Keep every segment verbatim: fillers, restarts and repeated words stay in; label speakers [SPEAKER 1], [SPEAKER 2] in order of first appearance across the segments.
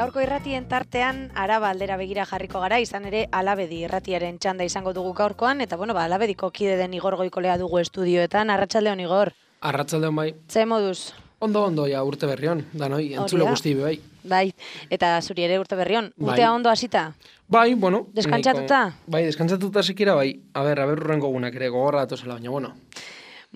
[SPEAKER 1] Gaurko irratien tartean Araba aldera begira jarriko gara, izan ere Alabedi irratiaren txanda izango dugu gaurkoan, eta bueno, ba, Alabediko kide den Igor Goikolea dugu estudioetan. Arratsaldeon, Igor.
[SPEAKER 2] Arratsaldeon bai.
[SPEAKER 1] Ze moduz?
[SPEAKER 2] Ondo, ondo, ja, urte berrion, danoi, entzule guzti bai.
[SPEAKER 1] Bai, eta zuri ere urte berrion.
[SPEAKER 2] Bai.
[SPEAKER 1] Urtea ondo hasita?
[SPEAKER 2] Bai, bueno.
[SPEAKER 1] Deskantzatuta?
[SPEAKER 2] Nahiko, bai, deskantzatuta sekira bai. A ber, a ber urrengo gunak ere gogorra datozela, baina, bueno.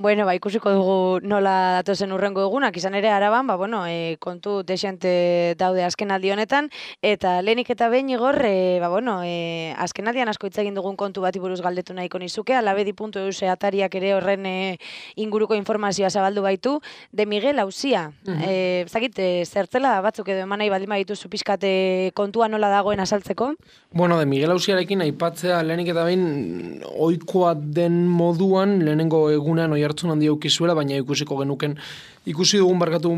[SPEAKER 1] Bueno, ba, ikusiko dugu nola datozen urrengo egunak, izan ere Araban, ba, bueno, e, kontu desente daude azkenaldi honetan, eta lehenik eta behin Igor, e, ba, bueno, e, azkenaldian asko hitz egin dugun kontu bati buruz galdetu nahiko nizuke, alabedi puntu e u atariak ere horren e, inguruko informazioa zabaldu baitu, de Miguel Auzia. Uh-huh. e, Zagit, e, zertzela batzuk edo eman nahi baldin badituzu pixkate kontua nola dagoen azaltzeko?
[SPEAKER 2] Bueno, de Miguel Auziarekin aipatzea lehenik eta behin ohikoa den moduan, lehenengo egunean oi hartzun handi aukizuela, baina ikusiko genuken, ikusi dugun barkatu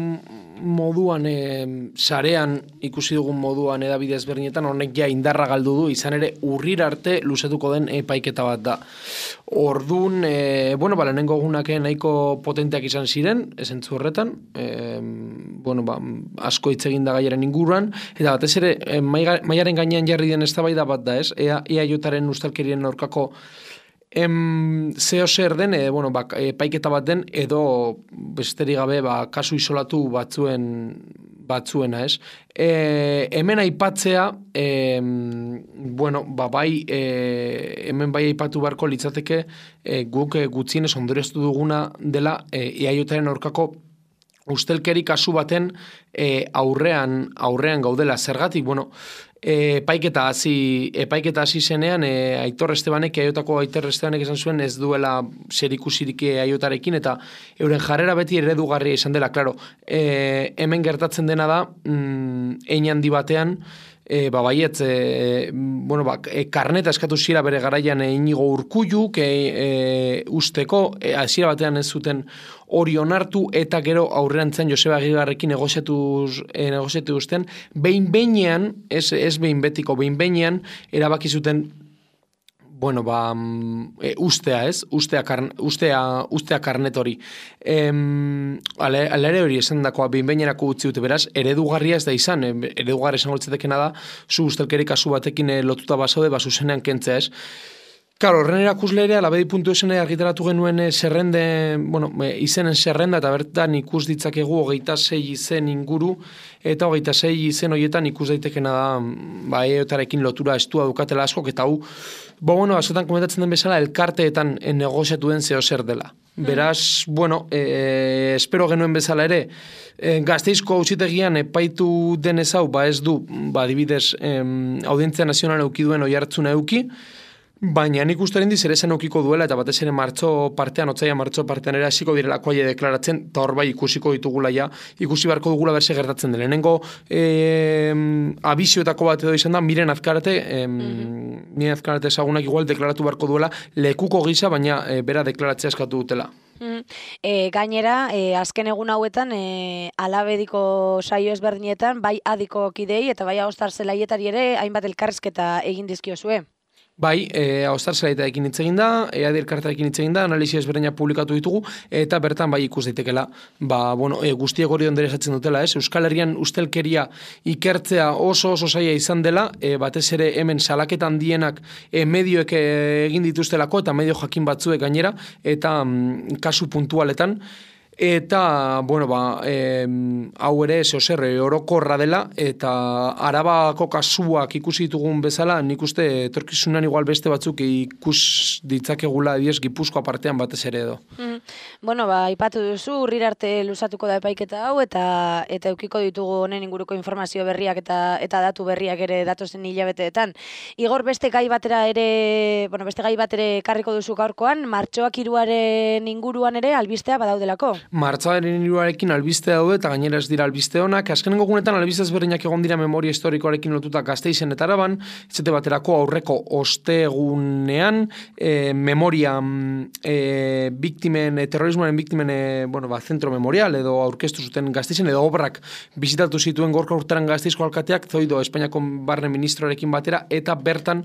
[SPEAKER 2] moduan, e, sarean ikusi dugun moduan edabide ezberdinetan, honek ja indarra galdu du, izan ere urrir arte luzatuko den epaiketa bat da. Ordun, e, bueno, ba, lehenengo egunak nahiko potenteak izan ziren, esentzu horretan, e, bueno, ba, asko hitz egin da gaiaren inguruan, eta batez ere, e, maiaren gainean jarri den eztabaida bat da, ez? Ea, E A Jaren ustelkerien aurkako Em, zeo zer den, e, bueno, ba, epaiketa bat den, edo besterik gabe ba, kasu isolatu batzuen batzuena, ez? E, hemen aipatzea, e, bueno, ba, bai, e, hemen bai aipatu beharko litzateke, e, guk e, gutxienez ondorioztu duguna dela e, E A Jaren aurkako ustelkeri kasu baten e, aurrean, aurrean gaudela. Zergatik, bueno, epaiketa hasi epaiketa hasi zenean e, Aitor Estebanek, Aiotako Aitor Estebanek esan zuen ez duela zerikusirik Aiotarekin, eta euren jarrera beti eredugarria izan dela, claro. E, hemen gertatzen dena da, mm, hein handi batean, E, ba, baiet, e, bueno, ba, e, karneta eskatu zira bere garaian e, Inigo Urkulluk e, e, usteko, e, hasiera batean ez zuten hori onartu, eta gero aurrerantzen Joseba Aguirrerekin negoziatuz, e, negoziatuzten, behin behinean, ez, ez behin betiko, behin behinean, erabaki zuten, bueno, ba, e, ustea, ez? Ustea, karn, ustea, ustea karnet hori. Em, ale, alere hori esan dakoa, behin behinerako utzi dute, beraz, eredugarria ez da izan, eredugarria esan goltzetekena da, zu ustelkeri kasu batekin e, lotuta basaude, basu zenean kentzea, ez? Claro, horren erakusle ere, alabedi puntu e u argitaratu genuen e, zerrende, bueno, e, izenen zerrenda, eta bertan ikus ditzakegu hogeita sei izen inguru, eta hogeita sei izen horietan ikus daitekena da, ba, eotarekin lotura estua dukatela askok, eta hau, bo, bueno, azotan komentatzen den bezala, elkarteetan negoziatu den zeo zer dela. Beraz, bueno, e, espero genuen bezala ere, e, Gasteizko auzitegian epaitu denez hau, ba ez du, ba, adibidez, em, Audientzia Nazionala euki duen oi hartzuna euki, baina nik uste rendiz ere zen eukiko duela, eta batez ere martxo partean, otzaia martxo partean ere hasiko direlako aie deklaratzen, eta hor bai ikusiko ditugula ja, ikusi beharko dugula berse gertatzen dela. Lehenengo e, abizioetako bat edo izan da, Miren Azkarate, e, mm-hmm. Miren Azkarate ezagunak igual deklaratu beharko duela, lekuko gisa, baina e, bera deklaratzea eskatu dutela.
[SPEAKER 1] Mm. E, gainera, e, azken egun hauetan, e, alabediko saio ezberdinetan, bai adiko kidei, eta bai agostar zelaietari ere, hainbat elkarrizketa egin dizkiozue.
[SPEAKER 2] Bai, e, Austar zelaitarekin hitz egin da, E A D elkartearekin hitz egin da, analisi ezberdinak publikatu ditugu, eta bertan bai ikus daitekela, ba, bueno, e, guztiek hori ondoriazatzen dutela, ez? Euskal Herrian ustelkeria ikertzea oso oso zaila izan dela, e, batez ere hemen salaketan handienak e, medioek egin dituztelako, eta medio jakin batzuek gainera, eta mm, kasu puntualetan, eta, bueno, ba, e, hau ere, zeo zer, orokorra dela, eta Arabako kasuak ikusi ditugun bezala, nik uste etorkizunan igual beste batzuk ikus ditzakegula, diez, Gipuzkoa partean batez ere edo.
[SPEAKER 1] Mm. Bueno, ba, ipatu duzu, urrir arte luzatuko da epaiketa hau, eta eta eukiko ditugu honen inguruko informazio berriak eta eta datu berriak ere datozen hilabeteetan. Igor, beste gai batera ere, bueno, beste gai bat ere karriko duzu gaurkoan, martxoak hiruaren inguruan ere albistea badaudelako.
[SPEAKER 2] Martxoaren hiruarekin albiste daude, eta gainera ez dira albiste honak. Azkenengo gunetan albiste ezberdinak egon dira memoria historikoarekin lotuta Gasteizen eta Araban, etxete baterako aurreko ostegunean, e, memoria e, biktimen, e, terrorismoaren biktimen e, bueno, ba, zentro memorial edo aurkeztu zuten Gasteizen, edo obrak bizitatu zituen gorka urteran Gasteizko alkateak, Zoido Espainiako barne ministroarekin batera, eta bertan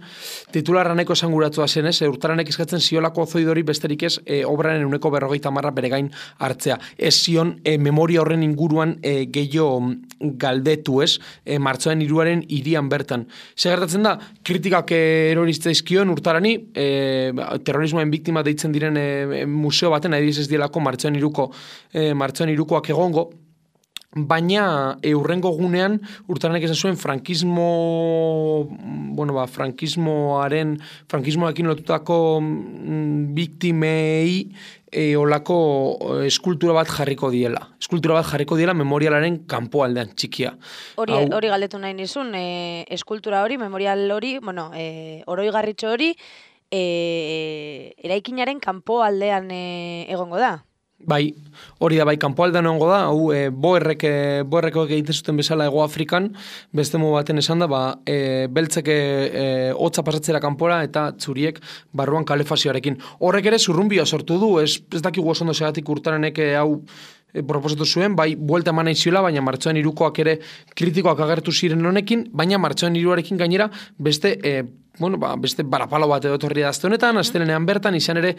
[SPEAKER 2] titularra nahiko esanguratua zen, ez, urtaranek eskatzen ziolako Zoidori besterik ez, e, obraren uneko berrogeita marra bere gain hartzen. hartzea. Ez zion e, memoria horren inguruan e, gehiago galdetu, ez? E, martxoaren hiruaren hirian bertan. Zer gertatzen da, kritikak eroriztaizkion urtarani, e, terrorismoen biktima deitzen diren e, museo baten, adibidez ez dielako martxoaren hiruko e, martxoaren hirukoak egongo, baina eurrengo gunean urtaranek esan zuen frankismo, bueno, ba, frankismoaren, frankismoarekin lotutako mm, biktimei e, olako eskultura bat jarriko diela. Eskultura bat jarriko diela memorialaren kanpoaldean txikia.
[SPEAKER 1] Hori, Hau, hori galdetu nahi nizun, e, eskultura hori, memorial hori, bueno, e, oroigarritxo hori, e, eraikinaren kanpoaldean e, egongo da.
[SPEAKER 2] Bai, hori da, bai, kanpoaldean egongo da, hau, e, boerrek, e, boerrekoek egiten zuten bezala Hego Afrikan, beste modu baten esan da, ba, e, beltzeke e, hotza pasatzera kanpora eta txuriek barruan kalefazioarekin. Horrek ere zurrumbioa sortu du, ez, ez dakigu oso ondo segatik urtarenek e, hau e, proposatu zuen, bai, buelta eman naiziola, baina martxoaren hirukoak ere kritikoak agertu ziren honekin, baina martxoaren hiruarekin gainera beste e, bueno, ba, beste barapalo bat edo etorri da azte honetan, astelenean bertan, izan ere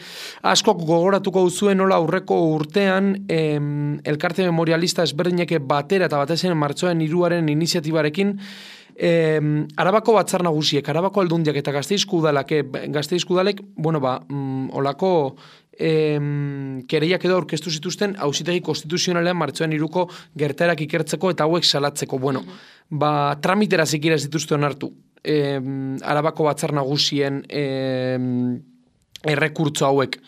[SPEAKER 2] askok gogoratuko duzuen nola aurreko urtean em, elkarte memorialista ezberdineke batera eta batezen martxoaren hiruaren iniziatibarekin em, Arabako batzar nagusiek, Arabako aldundiak eta Gasteizko udalak, Gasteizko udalek, bueno, ba, mm, olako em, kereiak edo aurkeztu zituzten auzitegi konstituzionalean martxoaren hiruko gertaerak ikertzeko eta hauek salatzeko. Bueno, ba, tramitera zikira ez dituzte onartu. Eh, Arabako batzar nagusien eh, errekurtso hauek.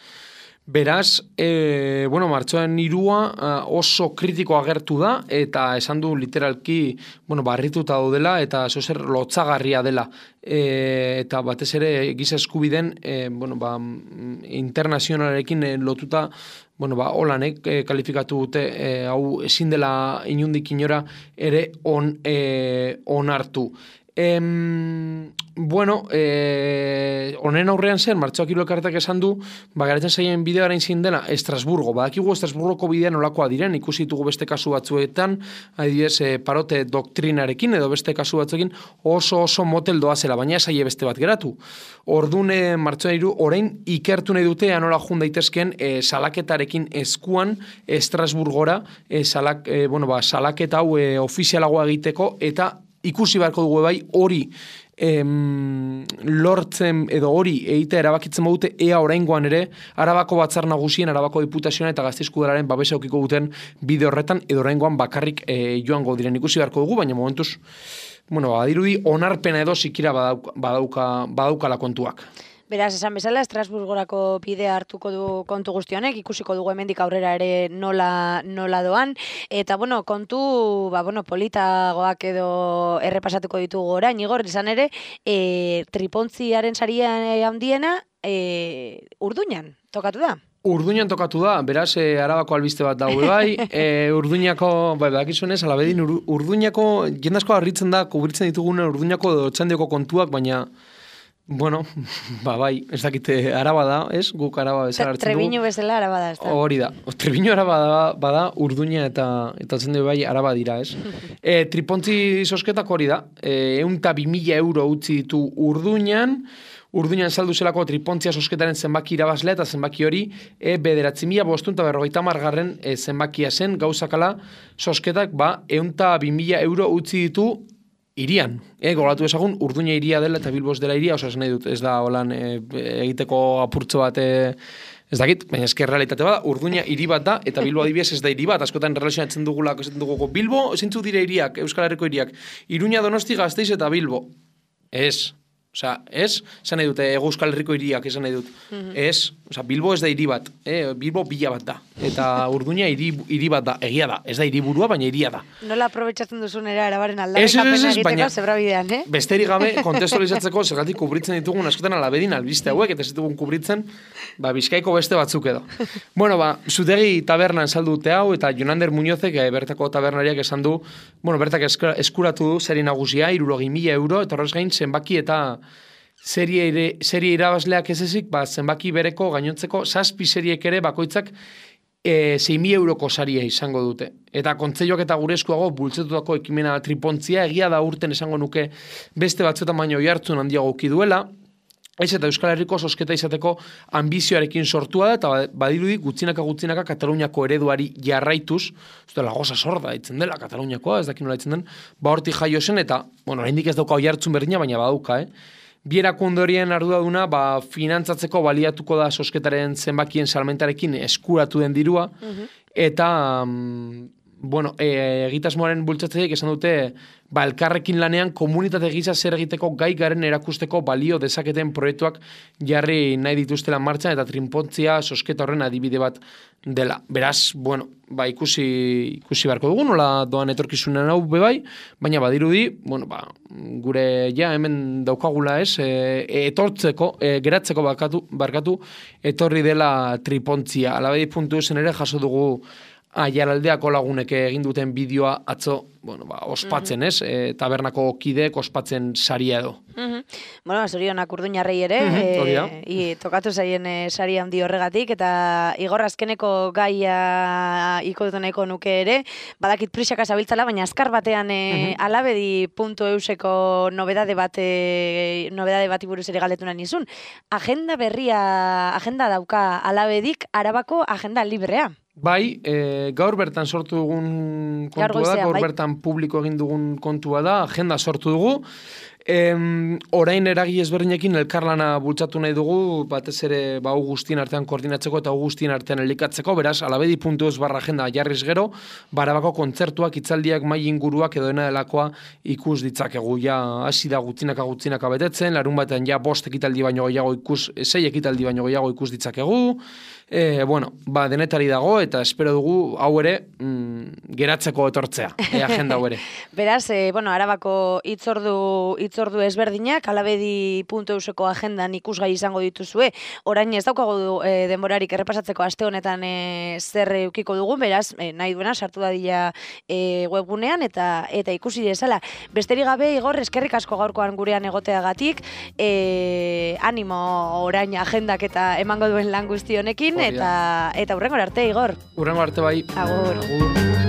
[SPEAKER 2] Beraz, eh, bueno, martxoaren hirua oso kritiko agertu da eta esan du literalki, bueno, barrituta daudela eta zozer lotzagarria dela. E, eta batez ere giza eskubiden e, bueno, ba, internazionalarekin e, lotuta, bueno, ba, holanek e, kalifikatu dute e, hau ezin dela inundik inora ere on, e, onartu. Em, bueno, eh, honen aurrean zen, martxoak hiru elkarteak esan du, bagaratzen zaien bideoaren zin dela, Estrasburgo. Badakigu Estrasburgoko bidean olakoa diren, ikusi ditugu beste kasu batzuetan, adibidez, eh, parote doktrinarekin, edo beste kasu batzuekin oso oso motel doazela, baina esaie beste bat geratu. Ordune martxoan hiru, orain ikertu nahi dute anola jun daitezken eh, salaketarekin eskuan Estrasburgora, eh, salak, eh, bueno, ba, salaketa hau eh, ofizialagoa egiteko, eta ikusi beharko dugu bai hori em, lortzen edo hori egitea erabakitzen badute ea oraingoan ere Arabako batzar nagusien, Arabako diputazioan eta Gasteizko udalaren babesa edukiko duten bide horretan edo oraingoan bakarrik e, joango diren ikusi beharko dugu, baina momentuz, bueno, badirudi onarpena edo sikira badauka, badauka, badaukala kontuak.
[SPEAKER 1] Beraz, esan bezala, Estrasburgorako bidea hartuko du kontu guzti honek, ikusiko dugu hemendik aurrera ere nola, nola doan. Eta, bueno, kontu, ba, bueno, politagoak edo errepasatuko ditugu orain, Igor, izan ere, e, tripontziaren saria handiena e, Urduñan tokatu da.
[SPEAKER 2] Urduñan tokatu da, beraz, e, Arabako albiste bat daude bai, e, Urduñako, bai, badakizunez, alabedin, ur, Urduñako, jendazko harritzen da, kubritzen ditugunen Urduñako edo Otxandioko kontuak, baina bueno, ba bai, ez dakite Araba da, ez? Guk Araba bezala hartzen dugu.
[SPEAKER 1] Trebiñu bezala Araba da, ez da?
[SPEAKER 2] Hori da. Trebiñu Araba da, bada, Urduña eta eta zen bai Araba dira, ez? e, tripontzi sosketak hori da. E, eunta bi mila euro utzi ditu Urduñan, Urduñan saldu zelako tripontzia sosketaren zenbaki irabazlea eta zenbaki hori e, bederatzi mila bostun eta berrogeita margarren e, zenbakia zen, gauzakala sosketak, ba, eunta bi mila euro utzi ditu irian, eh, gogoratu ezagun, Urduña iria dela eta Bilbos dela iria, oso ez nahi dut, ez da holan e, egiteko apurtxo bat, e, ez dakit, baina esker realitate bada, Urduña hiri bat da, eta Bilbo adibidez ez da hiri bat, askotan relazionatzen dugula, esaten dugu, Bilbo, zintzu dire hiriak, Euskal Herriko hiriak, Iruña, Donosti, Gasteiz eta Bilbo. Ez, osea, ez, esan nahi dut, Ego Euskal Herriko hiriak, esan nahi dut, mm-hmm. Ez, osea, Bilbo ez da hiri bat, eh, Bilbo bila bat da, eta Urduña hiri, hiri bat da, egia da, ez da hiriburua, baina hiria da.
[SPEAKER 1] Nola aprobetxatzen duzun era Arabaren aldarrikapena egiteko zebrabidean, eh?
[SPEAKER 2] Besterik gabe, kontestualizatzeko, zergatik kubritzen ditugun askotan alabedin albiste hauek, eta ez ditugun kubritzen, ba, Bizkaiko beste batzuk edo. Bueno, ba, Zutegi tabernan saldu dute hau, eta Jonander Muñozek, e, bertako tabernariak esan du, bueno, bertak eskuratu du, seri nagusia, hirurogei mila euro, eta horrez gain, zenbaki eta serie, ere, serie irabazleak ez ezik, ba, zenbaki bereko gainontzeko, zazpi seriek ere bakoitzak e, sei mila euroko saria izango dute. Eta kontzeioak eta gure eskuago bultzatutako ekimena tripontzia, egia da urten esango nuke beste batzuetan baino oihartzun handiago uki duela, Ez eta Euskal Herriko sosketa izateko ambizioarekin sortua da, eta badirudi gutxinaka gutxinaka Kataluniako ereduari jarraituz, ez dela goza sorda itzen dela Kataluniakoa, ez dakit nola itzen den, ba hortik jaio zen, eta, bueno, oraindik ez dauka oihartzun berdina, baina badauka, eh? Bierakunde horien arduraduna, ba, finantzatzeko baliatuko da sosketaren zenbakien salmentarekin eskuratu den dirua, eta, mm, bueno, e, egitasmoaren bultzatzaileek esan dute, ba, elkarrekin lanean komunitate gisa zer egiteko gai garen erakusteko balio dezaketen proiektuak jarri nahi dituztela martxan, eta trinpontzia sosketa horren adibide bat dela. Beraz, bueno, ba, ikusi, ikusi beharko dugu, nola doan etorkizunen hau bebai, baina badirudi, bueno, ba, gure ja hemen daukagula ez, e, etortzeko, e, geratzeko barkatu, barkatu, etorri dela tripontzia. Alabedi puntu zen ere jaso dugu Aiaraldeako lagunek egin duten bideoa atzo, bueno, ba, ospatzen, ez? E, tabernako kideek ospatzen saria edo.
[SPEAKER 1] Mm-hmm. Bueno, zorionak Urduñarrei ere,
[SPEAKER 2] mm-hmm,
[SPEAKER 1] e, i, tokatu zaien e, sari handi horregatik, eta Igor azkeneko gaia iko nahiko nuke ere, badakit prisaka zabiltzala, baina azkar batean e, mm-hmm. alabedi puntu euseko nobedade bat, e, nobedade bati buruz ere galdetu nahi nizun. Agenda berria, agenda dauka alabedik, Arabako agenda librea.
[SPEAKER 2] Bai, e, gaur bertan sortu dugun kontua da, gaur bai. Bertan publiko egin dugun kontua da, agenda sortu dugu. E, orain eragi ezberdinekin elkarlana bultzatu nahi dugu, batez ere ba, guztien artean koordinatzeko eta guztien artean elikatzeko, beraz, alabedi puntu eus barra agenda jarriz gero, Barabako kontzertuak, hitzaldiak, mai inguruak edo dena delakoa ikus ditzakegu. Ja, hasi da gutzinaka gutzinaka betetzen, larun batean ja bost ekitaldi baino gehiago ikus, sei ekitaldi baino gehiago ikus ditzakegu. E, bueno, ba, denetari dago, eta espero dugu hau ere mm, geratzeko etortzea, e, agenda hau ere.
[SPEAKER 1] Beraz, e, bueno, Arabako hitzordu hitzordu ezberdinak, alabedi puntu euseko agendan ikusgai izango dituzue, orain ez daukagu e, denborarik errepasatzeko aste honetan e, zer eukiko dugu, beraz, e, nahi duena sartu dadila e, webgunean, eta eta ikusi dezala. Besterik gabe, Igor, eskerrik asko gaurkoan gurean egoteagatik, e, animo orain agendak eta emango duen lan guzti honekin, eta eta hurrengora arte, Igor.
[SPEAKER 2] Hurrengora arte bai.
[SPEAKER 1] Agur.
[SPEAKER 2] Agur.